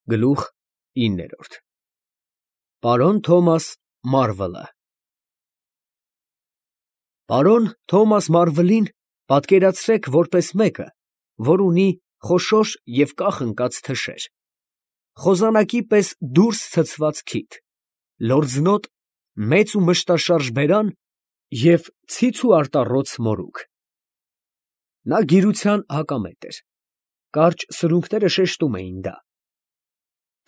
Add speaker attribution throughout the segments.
Speaker 1: Գլուխ 9 Պարոն Թոմաս Մարվելը Պարոն Թոմաս Մարվելին պատկերացրեք որպես մեկը, որ ունի խոշոր և կախ ընկած թշեր, խոզանակի պես դուրս ցցված քիթ, լորձնոտ, մեծ ու մշտաշարժ բերան և ցից ու արտառոց մորուք. նա գիրության հակամետ էր, կարճ սրունքները շեշտում էին դա.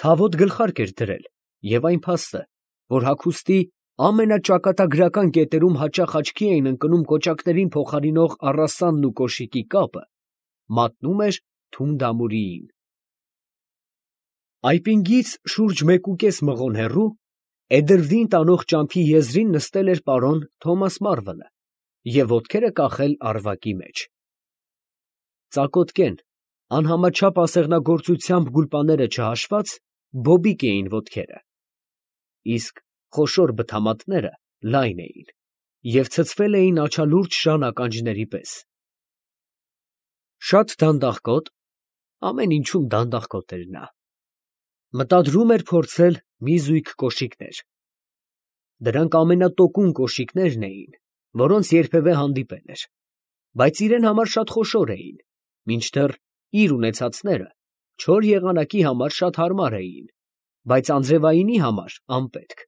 Speaker 1: թավոտ գլխարկ էր դրել և այն փաստը, որ հագուստի ամենաճակատագրական կետերում հաճախ աչքի էին ընկնում կոճակներին փոխարինող առասանն ու կոշիկի կապը, մատնում էր թունդ ամուրիին։ Այպինգից շուրջ 1.5 մղոն հեռու, Էդրվին տանող ճամփի եզրին նստել էր պարոն Թոմաս Մարվելը և ոտքերը կախել առվակի մեջ։ Ծակոտկեն, անհամաչափ ասեղնագործությամբ գուլպաները չհաշված, բոբիկ էին ոտքերը, իսկ խոշոր բթամատները լայն էին և ցցվել էին աչալուրջ ժան ականջների պես։ Շատ դանդաղկոտ, ամեն ինչում դանդաղկոտ էր նա, մտադրում էր փորձել մի զույգ կոշիկներ. դրանք ամենատոկուն կոշիկներն էին, որոնց երբևէ հանդիպել էր, բայց իրան համար շատ խոշոր էին, մինչդեռ իր ունեցածները չոր եղանակի համար շատ հարմար էին, բայց անձրևայինի համար անպետք,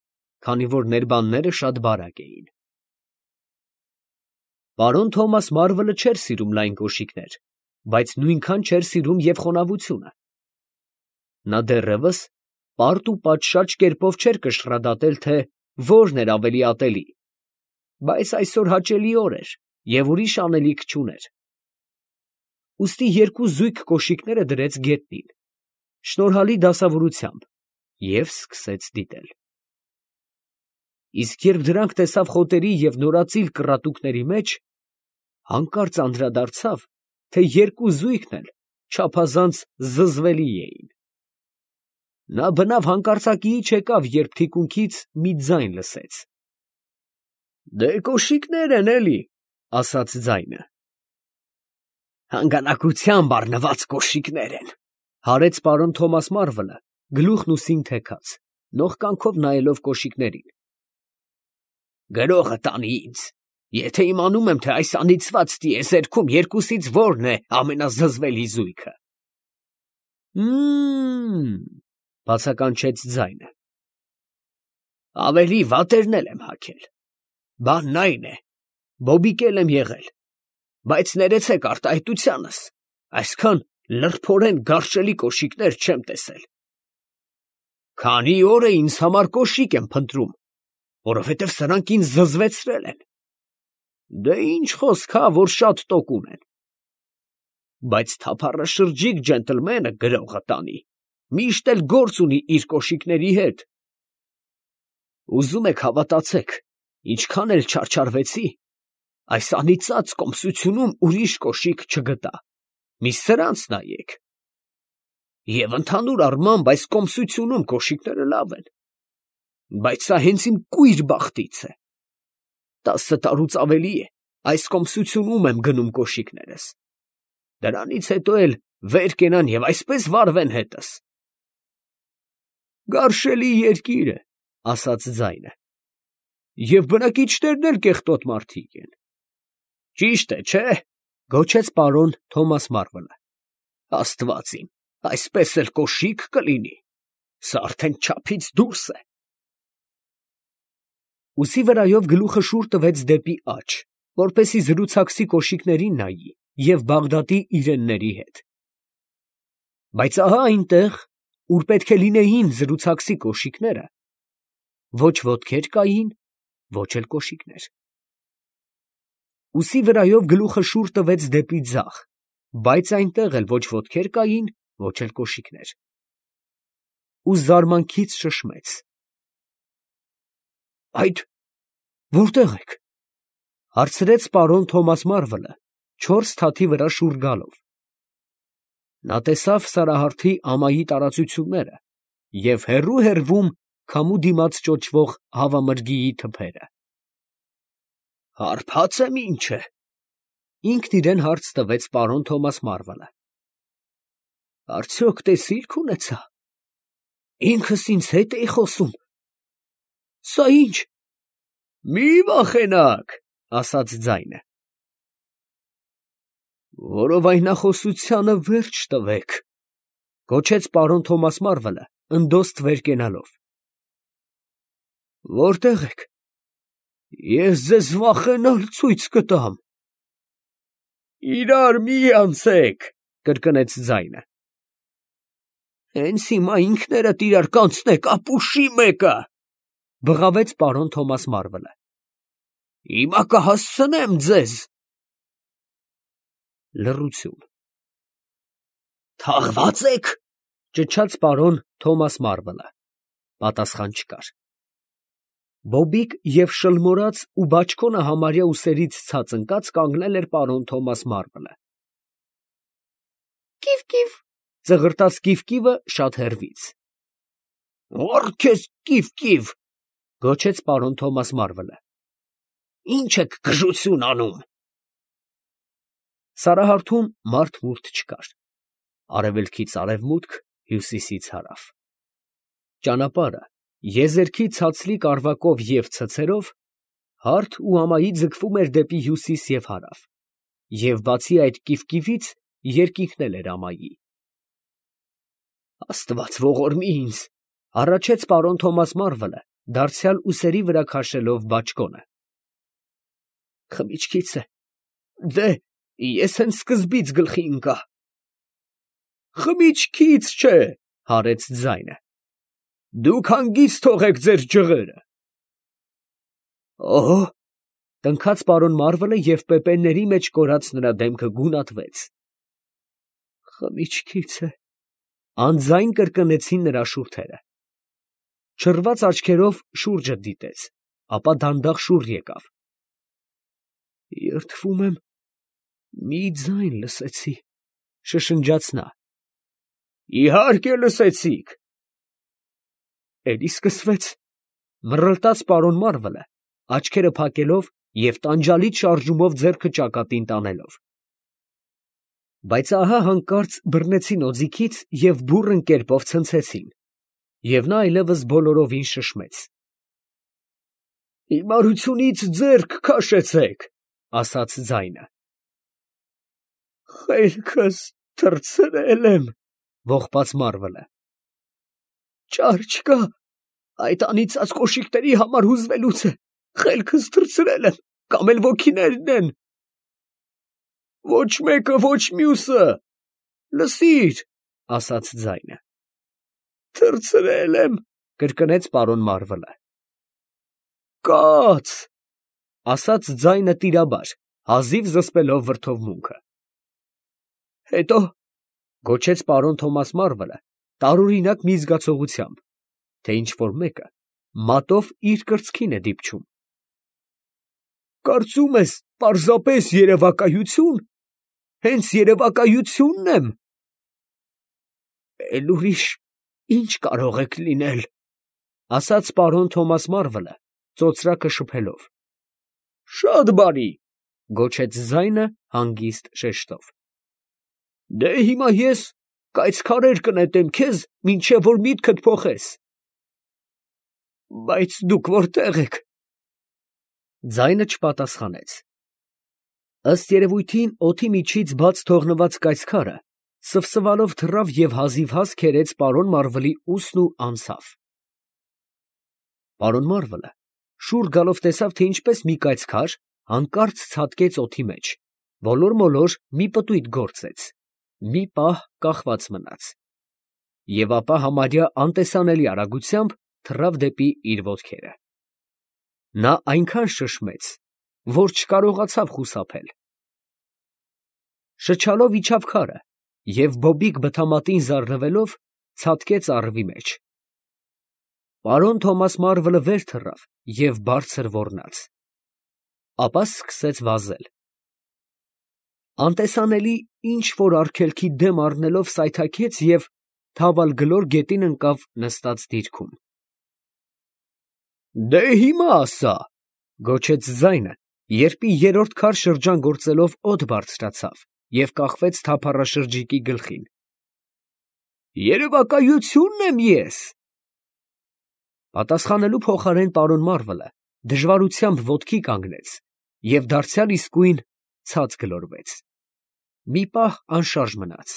Speaker 1: քանի որ ներբանները շատ բարակ էին։ Պարոն Թոմաս Մարվելը չէր սիրում լայն կոշիկներ, բայց նույնքան չէր սիրում և խոնավությունը։ Նա դեռևս պարտ ու պատշաճ կերպով չէր կշռադատել, թե որն էր ավելի ատելի, բայց այսօր հաճելի օր էր և ուրիշ անելիք չուներ։ Ուստի երկու զույգ կոշիկները դրեց գետնին, շնորհալի դասավորությամբ, և սկսեց դիտել։ Իսկ երբ դրանք տեսավ խոտերի և նորածիլ կռատուկների մեջ, հանկարծ անդրադարձավ, թե երկու զույգն էլ չափազանց զզվելի էին։ Նա բնավ հանկարծակիի չեկավ, երբ թիկունքից մի ձայն լսեց։ ֊ Դե կոշիկներ են, էլի, ֊ ասաց ձայնը։ ֊ Հանգանակությամբ առնված կոշիկներ են, ֊ հարեց պարոն Թոմաս Մարվելը, գլուխն ուսին թեքած, նողկանքով նայելով կոշիկներին։ ֊ Գրողը տանի ինձ, եթե իմանում եմ, թե այս անիծված տիեզերքում երկուսից որն է ամենազզվելի զույգը։ ֊ բացականչեց ձայնը։ ֊ Ավելի վատերն էլ եմ հագել, բանն այն է, բոբիկ էլ եմ եղել, բայց ներեցեք արտահայտությանս, այսքան լրբորեն գարշելի կոշիկներ չեմ տեսել։ Քանի օր է ինձ համար կոշիկ եմ փնտրում, որովհետև սրանք ինձ զզվեցրել են։ Դե ինչ խոսք հա, որ շատ տոկուն են։ Բայց թափառաշրջիկ ջենտլմենը, գրողը տանի, միշտ էլ գործ ունի իր կոշիկների հետ։ Ուզում եք հավատացեք, ինչքան էլ չարչարվեցի, այս անիծած կոմսությունում ուրիշ կոշիկ չգտա, մի սրանց նայեք։ Եվ ընդհանուր առմամբ այս կոմսությունում կոշիկները լավ են, բայց սա հենց իմ կույր բախտից է։ 10 տարուց ավելի է այս կոմսությունում եմ գնում կոշիկներս, դրանից հետո էլ վեր կենան և այսպես վարվեն հետս։ Գարշելի երկիր է, ֊ ասաց ձայնը, ֊ և բնակիչներն էլ կեղտոտ մարդիկ են։ Ճիշտ է, չէ՞, ֊ գոչեց պարոն Թոմաս Մարվելը։ Աստված իմ, այսպես էլ կոշիկ կլինի, սա արդեն չափից դուրս է։ Ուսի վրայով գլուխը շուռ տվեց դեպի աջ, որպեսզի զրուցակցի կոշիկներին նայի և Բաղդադի իրենների հետ։ Բայց ահա այնտեղ, ուր պետք է լինեին զրուցակցի կոշիկները, ոչ ոտքեր կային, ոչ էլ կոշիկներ։ Ուսի վրայով գլուխը շուռ տվեց դեպի ձախ, բայց այնտեղ էլ ոչ ոտքեր կային, ոչ էլ կոշիկներ։ Ու զարմանքից շշմեց. Այդ որտե՞ղ եք, ֊ հարցրեց պարոն Թոմաս Մարվելը, 4 թաթի վրա շուռ գալով։ Նա տեսավ Սարահարթի ամայի տարածությունները և հեռու քամու դիմաց ճոճվող հավամրգիի թփերը։ Հարբա՞ծ եմ ինչ է, ֊ ինքն իրան հարց տվեց պարոն Թոմաս Մարվելը։ Արդյոք տեսիլք ունեցա, Ինքս ինձ հետ էի խոսում։ Սա ի՞նչ։ Մի վախենաք, ասաց ձայնը։ Որովայնախոսությանը վերջ տվեք, գոչեց պարոն Թոմաս Մարվելը, ընդոստ վեր կենալով։ Որտե՞ղ եք։ Ես ձեզ վախենալ ցույց կտամ։ Իրար մի անցեք, կրկնեց ձայնը։ Հենց հիմա ինքներդ իրար կանցնեք ապուշի մեկը, բղավեց պարոն Թոմաս Մարվելը։ Հիմա կհասցնեմ ձեզ։ Լռություն։ Թաղված եք, ճչաց պարոն Թոմաս Մարվելը։ Պատասխան չկար։ Բոբիկ և շլմորած ու բաճկոնը համարյա ուսերից ցած ընկած կանգնել էր պարոն Թոմաս Մարվելը։ Կիվ, ծղրտաց կիվկիվը շատ հեռվից։ Ո՞ր քեզ կիվ, գոչեց պարոն Թոմաս Մարվելը։ Ինչ եք գժություն անում։ Սարահարթում մարդ չկար։ Արևելքից արևմուտք, հյուսիսից հարավ։ Ճանապարհը եզերքի ցածլիկ արվակով և ցցերով հարթ ու ամայի ձգվում էր դեպի հյուսիս և հարավ, և բացի այդ կիվկիվից երկինքն էր ամայի։ Աստված ողորմի ինձ, առաջեց պարոն Թոմաս Մարվելը, դարձյալ ուսերի վրա քաշելով բաճկոնը։ Խմիչքից է։ Դե, ես հենց սկզբից գլխի ընկա։ Խմիչքից չէ, հարեց ձայնը։ Դուք հանգիստ թողեք ձեր ջղերը։ Օհո, տնքաց պարոն Մարվելը և պեպենների մեջ կորած նրա դեմքը գունատվեց։ Խմիչքից է, անձայն կրկնեցին նրա շուրթերը։ Չռված աչքերով շուրջը դիտեց, ապա դանդաղ շուռ եկավ։ Երդվում եմ, մի ձայն լսեցի, շշնջաց նա։ Իհարկե լսեցիք։ Էլի սկսվեց, մռլտաց պարոն Մարվելը, աչքերը փակելով և տանջալից շարժումով ձեռքը ճակատին տանելով։ Բայց ահա հանկարծ բռնեցին օձիքից և բուռն կերպով ցնցեցին, և նա այլևս բոլորովին շշմեց։ Հիմարությունից ձեռք քաշեցեք, ասաց ձայնը։ Խելքս թռցրել եմ, ողբաց Մարվելը։ Ճար չկա, այդ անիծած կոշիկների համար հուզվելուց է, խելքս թռցրել եմ, կամ էլ ոգիներն են։ Ոչ մեկը, ոչ մյուսը, լսիր, ասաց ձայնը։ Թռցրել եմ, կրկնեց պարոն Մարվելը։ Կաց, ասաց ձայնը տիրաբար, հազիվ զսպելով վրդովմունքը։ Հետո, գոչեց պարոն Թոմաս Մարվելը, տարօրինակ մի զգացողությամբ, թե ինչ֊որ մեկը մատով իր կրծքին է դիպչում։ Կարծում ես, պարզապես երևակայություն, հենց երևակայությունն եմ։ Էլ ուրիշ ինչ կարող եք լինել, ասաց պարոն Թոմաս Մարվելը, ծոծրակը շփելով։ Շատ բարի, գոչեց ձայնը հանգիստ շեշտով։ Դե հիմա ես կայծքարեր կնետեմ քեզ, մինչև որ միտքդ փոխես։ Բայց դուք որտե՞ղ եք։ Ձայնը չպատասխանեց։ Ըստ երևույթին օդի միջից բաց թողնված կայծքարը սվսվալով թռավ և հազիվհազ քերեց պարոն Մարվելի ուսն ու անցավ։ Պարոն Մարվելը շուռ գալով տեսավ, թե ինչպես մի կայծքար հանկարծ ցատկեց օդի մեջ, ոլոր-մոլոր մի պտույտ գործեց, մի պահ կախված մնաց, և ապա համարյա անտեսանելի արագությամբ թռավ դեպի իր ոտքերը։ Նա այնքան շշմեց, որ չկարողացավ խուսափել։ Շչալով իջավ քարը և բոբիկ բթամատին զարնվելով ցատկեց առվի մեջ։ Պարոն Թոմաս Մարվելը վեր թռավ և բարձր ոռնաց, ապա սկսեց վազել։ Անտեսանելի ինչ֊որ արգելքի դեմ առնելով սայթաքեց և թավալ գետին ընկավ նստած դիրքում։ Դե հիմա ասա, գոչեց ձայնը, երբ երրորդ քար շրջան գործելով օդ բարձրացավ և կախվեց թափառաշրջիկի գլխին։ Երևակայությունն եմ ես, Պատասխանելու փոխարեն պարոն Մարվելը դժվարությամբ ոտքի կանգնեց և դարձյալ իսկույն ցած գլորվեց։ Մի պահ անշարժ մնաց։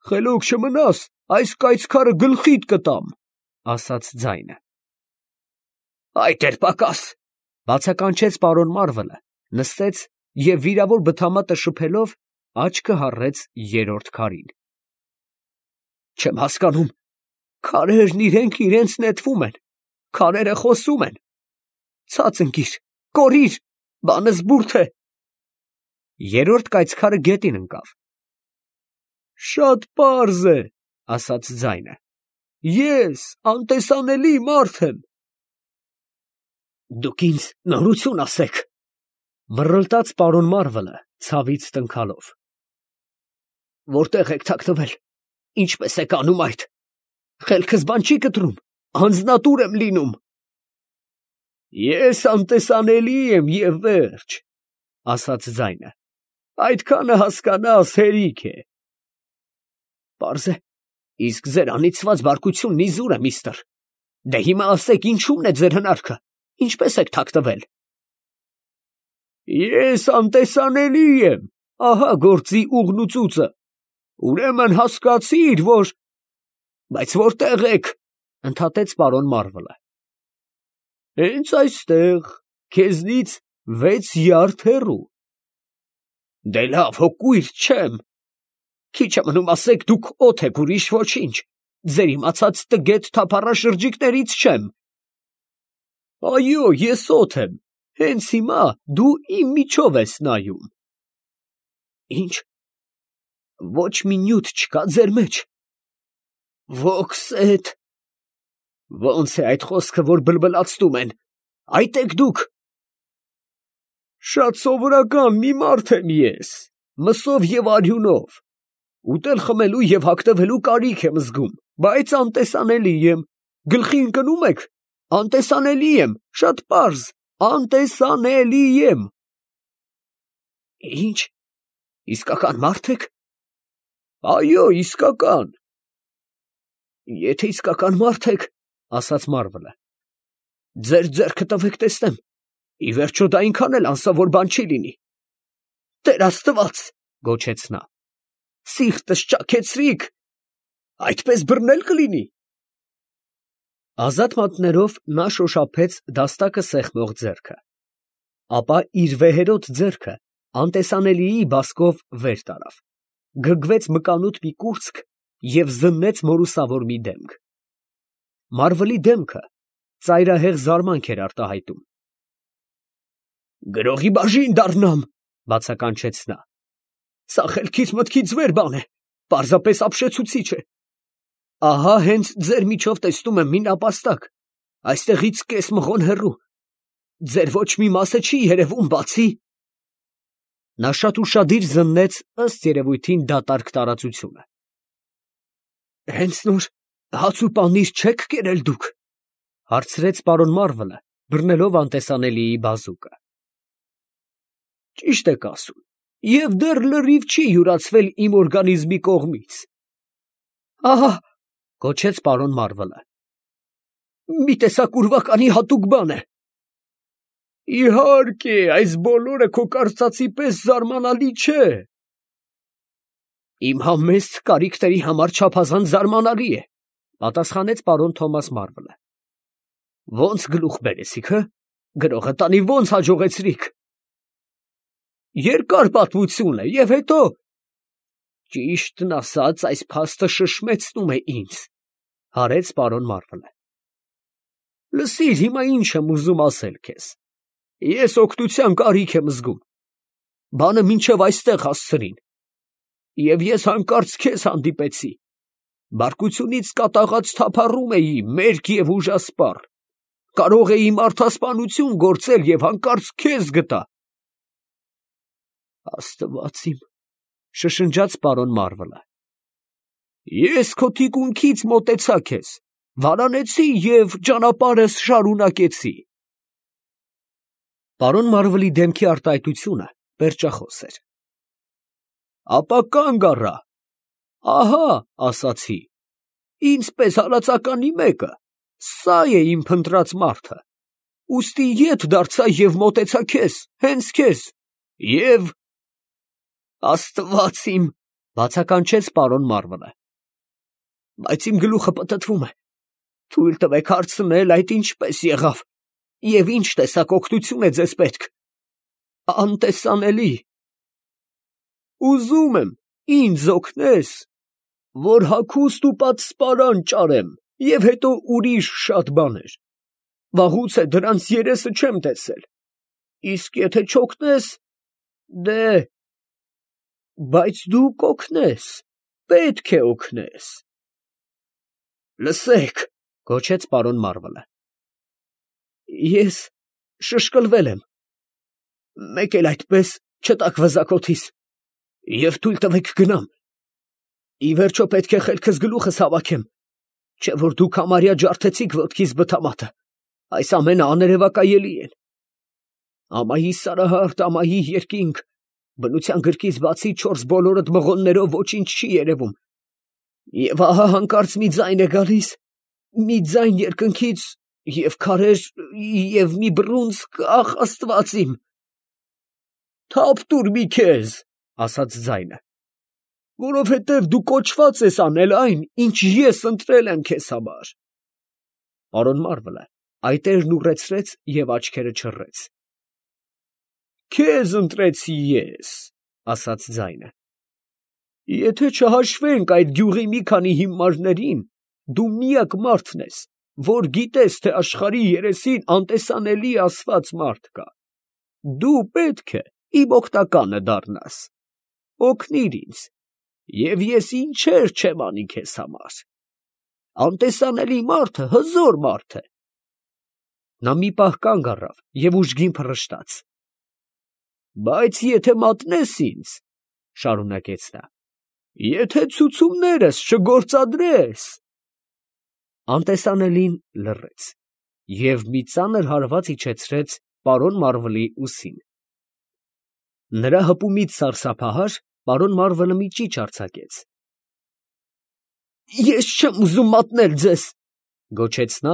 Speaker 1: «Խելոք չմնաս, այս կայծքարը գլխիդ կտամ», ֊ ասաց ձայնը։ «Այդ էր պակաս», ֊ բացականչեց պարոն Մարվելը, նստեց և վիրավոր բթամատը շփելով աչքը հառեց երրորդ քարին։ «Չեմ հասկանում, քարերն իրենք իրենց նետվում են, քարերը խոսում են։ Ցած ընկիր, կորիր, բանը զբուրդ է»։ Երրորդ կայծքարը գետին ընկավ։ «Շատ պարզ է», ֊ ասաց ձայնը, «ես անտեսանելի մարդ եմ»։ «Դուք ինձ նորություն ասեք», ֊ մռլտաց պարոն Մարվելը ցավից տնքալով։ «Որտե՞ղ եք թաքնվել, ինչպե՞ս եք անում այդ։ Խելքս բան չի կտրում, անձնատուր եմ լինում»։ «Ես անտեսանելի եմ և վերջ», ֊ ասաց ձայնը, «այդքանը հասկանաս հերիք է»։ «Պարզ է, իսկ ձեր անիծված բարկությունն իզուր է, միստր։ Դե հիմա ասեք, ինչու՞մն է ձեր հնարքը, ինչպե՞ս եք թաքնվել»։ «Ես անտեսանելի եմ, ահա գործի ուղն ու ծուծը։ Ուրեմն հասկացիր, որ…» «Բայց որտե՞ղ եք», ֊ ընդհատեց պարոն Մարվելը։ «Հենց այստեղ, քեզնից 6 յարդ հեռու»։ «Դե լավ, հո կույր չեմ։ Քիչ է մնում ասեք, դուք օդ եք, ուրիշ ոչինչ, ձեր իմացած տգետ թափառաշրջիկներից չեմ»։ «Այո, ես օդ եմ, հենց հիմա դու իմ միջով ես նայում»։ «Ի՞նչ, ոչ մի նյութ չկա ձեր մեջ»։ «Ոգսետ»։ «Ո՞նց է այդ խոսքը, որ բլբլացնում են, այդ եք դուք»։ «Շատ սովորական մի մարդ եմ ես, մսով և արյունով, ուտել խմելու և հագնվելու կարիք եմ զգում, բայց անտեսանելի եմ, գլխի ընկնո՞ւմ եք, անտեսանելի եմ, շատ պարզ, անտեսանելի եմ»։ «Ի՞նչ, իսկական մարդ եք»։ «Այո, իսկական»։ «Եթե իսկական մարդ եք, ֊ ասաց Մարվելը, ֊ ձեր ձեռքը տվեք տեսնեմ, ի վերջո դա այնքան էլ անսովոր բան չի լինի»։ «Տեր Աստված», ֊ գոչեց նա, «սիրտս ճաքեցրիք, այդպես բռնել կլինի»։ Ազատ մատներով նա շոշափեց դաստակը սեղմող ձեռքը, ապա իր վեհերոտ ձեռքը անտեսանելիի բասկով վեր տարավ, գրգվեց մկանուտ մի կուրծք և զննեց մորուսավոր մի դեմք։ Մարվելի դեմքը ծայրահեղ զարմանք էր արտահայտում։ «Գրողի բաժին դառնամ», ֊ բացականչեց նա։ «Սա խելքից մտքից վեր բան է, պարզապես ապշեցուցիչ է։ Ահա հենց ձեր միջով տեսնում եմ մի նապաստակ, այստեղից կես մղոն հեռու, ձեր ոչ մի մասը չի երևում, բացի…»։ Նա շատ ուշադիր զննեց ըստ երևույթին դատարկ տարածությունը։ «Հենց նոր հաց ու պանիր չեք կերել դուք, ֊ հարցրեց պարոն Մարվելը, բռնելով անտեսանելիի բազուկը։ «Ճիշտ եք ասում, և դեռ լրիվ չի յուրացվել իմ օրգանիզմի կողմից»։ «Ահա», ֊ գոչեց պարոն Մարվելը, «մի տեսակ ուրվականի հատուկ բան է»։ «Իհարկե, այս բոլորը քո կարծածի պես զարմանալի չէ»։ «Իմ համեստ կարիքների համար չափազանց զարմանալի է», ֊ պատասխանեց պարոն Թոմաս Մարվելը։ «Ո՞նց գլուխ բերեցիք, հը, գրողը տանի ո՞նց հաջողեցրիք»։ «Երկար պատմություն է, և հետո…» «Ճիշտն ասած, այս փաստը շշմեցնում է ինձ», ֊ հարեց պարոն Մարվելը։ «Լսիր, հիմա ինչ եմ ուզում ասել քեզ. ես օգնության կարիք եմ զգում, բանը մինչև այստեղ հասցրին, և ես հանկարծ քեզ հանդիպեցի, բարկությունից կատաղած թափառում էի, մերկ և ուժասպառ, կարող էի մարդասպանություն գործել և հանկարծ քեզ գտա»։ «Աստված իմ», ֊ շշնջաց պարոն Մարվելը, «ես քո թիկունքից մոտեցա քեզ, վարանեցի և ճանապարհս շարունակեցի»։ Պարոն Մարվելի դեմքի արտահայտությունը պերճախոս էր։ «Ապա կանգ առա, ահա ասացի, ինձ պես հալածականի մեկը, Սա է իմ փնտրած մարդը։ Ուստի ետ դարձա և մոտեցա քեզ, հենց քեզ, և… Աստված իմ, բացականչեց պարոն Մարվելը։ Բայց իմ գլուխը պտտվում է։ Թույլ տվեք հարցնել, այդ ինչպես եղավ, և ինչ տեսակ օգնություն է ձեզ պետք։ Անտեսանելի… Ուզում եմ ինձ օգնես, որ հագուստ ու պատսպարան ճարեմ, և հետո ուրիշ շատ բաներ։ Վաղուց է դրանց երեսը չեմ տեսել, իսկ եթե չօգնես, դե… Բայց դու կօգնես, պետք է օգնես։ Լսեք, գոչեց պարոն Մարվելը. Ես շշկլվել եմ, մեկ էլ այդպես չտաք վզակոթիս, և թույլ տվեք գնամ, ի վերջո պետք է խելքս գլուխս հավաքեմ, չէ որ դուք համարյա ջարդեցիք ոտքիս բթամատը, այս ամենը աներևակայելի են, ամայի Սարահարթ, ամայի երկինք, բնության գրկից բացի չորս բոլորդ մղոններով ոչինչ չի երևում, և ահա հանկարծ մի ձայն է գալիս, մի ձայն երկնքից, և քարեր, և մի բռունցք, ախ, Աստված իմ… Թափ տուր մի քեզ, ասաց ձայնը, որովհետև դու կոչված ես անել այն, ինչ ես ընտրել եմ քեզ համար։ Պարոն Մարվելը այտերն ուռեցրեց և աչքերը չռեց։ Քեզ ընտրեցի ես, ասաց ձայնը, եթե չհաշվենք այդ գյուղի մի քանի հիմարներին, դու միակ մարդն ես, որ գիտես, թե աշխարհի երեսին անտեսանելի ասված մարդ կա, դու պետք է իմ օգնականը դառնաս, օգնիր ինձ, և ես ինչեր չեմ անի քեզ համար, անտեսանելի մարդը հզոր մարդ է։ Նա մի պահ կանգ առավ և ուժգին փռշտաց։ Բայց եթե մատնես ինձ, շարունակեց նա, եթե ցուցումներս չգործադրես… Անտեսանելին լռեց և մի ծանր հարված իջեցրեց պարոն Մարվելի ուսին։ Նրա հպումից սարսափահար պարոն Մարվելը մի ճիչ արձակեց։ Ես չեմ ուզում մատնել ձեզ, գոչեց նա,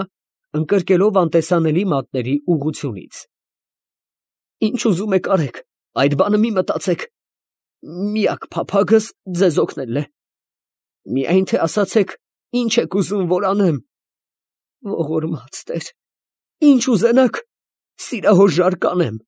Speaker 1: ընկրկելով անտեսանելի մատների ուղղությունից։ Ինչ ուզում եք արեք, այդ բանը մի մտածեք, միակ փափագս ձեզ օգնելն է, միայն թե ասացեք, ինչ եք ուզում, որ անեմ։ Ողորմած Տեր, ինչ ուզենաք, սիրահորժար կանեմ։